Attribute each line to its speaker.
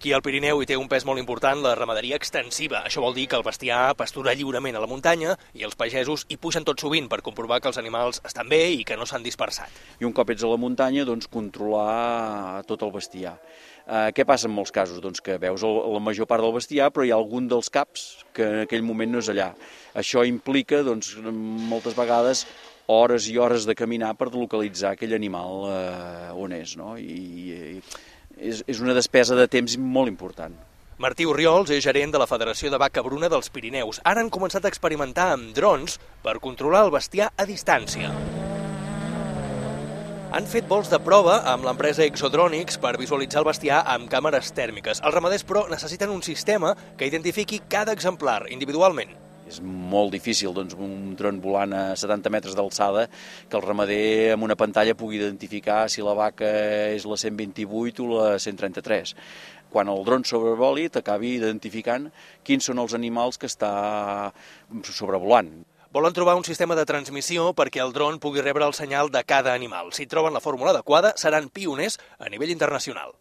Speaker 1: Aquí al Pirineu hi té un pes molt important la ramaderia extensiva. Això vol dir que el bestiar pastura lliurement a la muntanya i els pagesos hi pugen tot sovint per comprovar que els animals estan bé i que no s'han dispersat.
Speaker 2: I un cop ets a la muntanya, doncs, controlar tot el bestiar. Què passa en molts casos? Doncs que veus la major part del bestiar, però hi ha algun dels caps que en aquell moment no és allà. Això implica, doncs, moltes vegades, hores i hores de caminar per localitzar aquell animal on és, no? I és una despesa de temps molt important.
Speaker 1: Martí Orriols és gerent de la Federació de Vaca Bruna dels Pirineus. Ara han començat a experimentar amb drons per controlar el bestiar a distància. Han fet vols de prova amb l'empresa Exodronics per visualitzar el bestiar amb càmeres tèrmiques. Els ramaders, però, necessiten un sistema que identifiqui cada exemplar individualment.
Speaker 2: És molt difícil, doncs, un dron volant a 70 metres d'alçada que el ramader amb una pantalla pugui identificar si la vaca és la 128 o la 133. Quan el dron sobrevoli t'acabi identificant quins són els animals que està sobrevolant.
Speaker 1: Volen trobar un sistema de transmissió perquè el dron pugui rebre el senyal de cada animal. Si troben la fórmula adequada, seran pioners a nivell internacional.